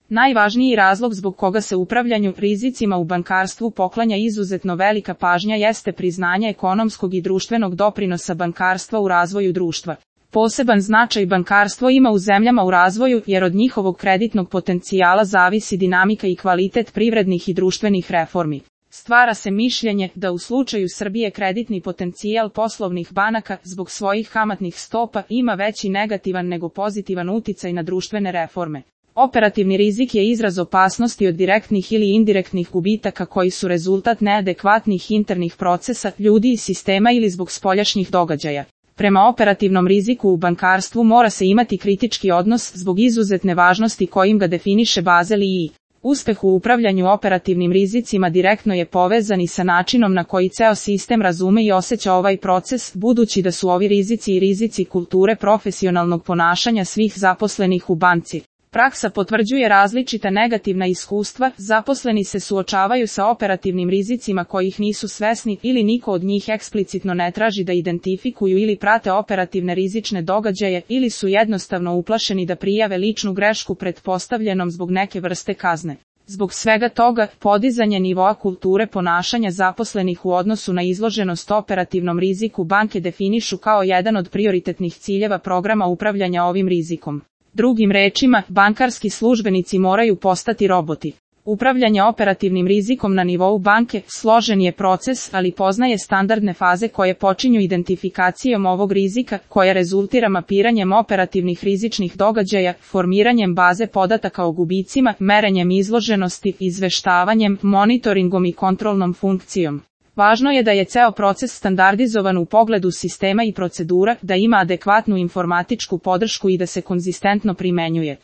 Najvažniji razlog zbog koga se upravljanju rizicima u bankarstvu poklanja izuzetno velika pažnja jeste priznanje ekonomskog i društvenog doprinosa bankarstva u razvoju društva. Poseban značaj bankarstvo ima u zemljama u razvoju jer od njihovog kreditnog potencijala zavisi dinamika i kvalitet privrednih i društvenih reformi. Stvara se mišljenje da u slučaju Srbije kreditni potencijal poslovnih banaka zbog svojih kamatnih stopa ima veći negativan nego pozitivan uticaj na društvene reforme. Operativni rizik je izraz opasnosti od direktnih ili indirektnih gubitaka koji su rezultat neadekvatnih internih procesa, ljudi i sistema ili zbog spoljašnjih događaja. Prema operativnom riziku u bankarstvu mora se imati kritički odnos zbog izuzetne važnosti kojim ga definiše Basel II. Uspeh u upravljanju operativnim rizicima direktno je povezan i sa načinom na koji ceo sistem razume i osjeća ovaj proces, budući da su ovi rizici i rizici kulture profesionalnog ponašanja svih zaposlenih u banci. Praksa potvrđuje različita negativna iskustva, zaposleni se suočavaju sa operativnim rizicima kojih nisu svesni ili niko od njih eksplicitno ne traži da identifikuju ili prate operativne rizične događaje ili su jednostavno uplašeni da prijave ličnu grešku pretpostavljenom zbog neke vrste kazne. Zbog svega toga, podizanje nivoa kulture ponašanja zaposlenih u odnosu na izloženost operativnom riziku banke definišu kao jedan od prioritetnih ciljeva programa upravljanja ovim rizikom. Drugim rečima, bankarski službenici moraju postati roboti. Upravljanje operativnim rizikom na nivou banke složen je proces, ali poznaje standardne faze koje počinju identifikacijom ovog rizika, koja rezultira mapiranjem operativnih rizičnih događaja, formiranjem baze podataka o gubicima, merenjem izloženosti, izveštavanjem, monitoringom i kontrolnom funkcijom. Važno je da je ceo proces standardizovan u pogledu sistema i procedura, da ima adekvatnu informatičku podršku i da se konzistentno primenjuje.